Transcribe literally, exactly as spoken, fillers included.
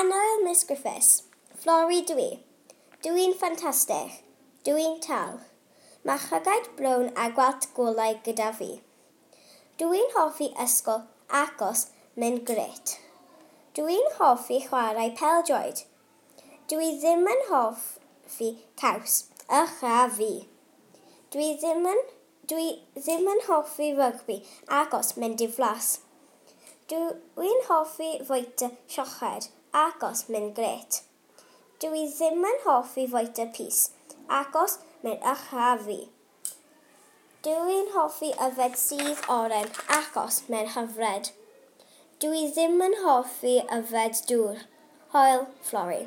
Annwyl Miss Griffiths, Flori dwi. Dwi'n ffantastig. Dwi'n tal. Mae llygaid brown a gwallt golau gyda fi. Dwi'n hoffi ysgol achos mae'n grêt. Dwi'n hoffi chwarae pêl-droed. Dwi ddim yn hoffi caws, ych a fi. Dwi ddim yn, dwi ddim yn hoffi rygbi achos mae'n diflas. Dwi'n hoffi fwyta siocled achos mae'n grêt. Dwi ddim yn hoffi fwyta pys achos mae'n ych a fi. Dwi'n hoffi yfed sudd oren achos mae'n hyfryd. Dwi ddim yn hoffi yfed dŵr. Hwyl, Flori.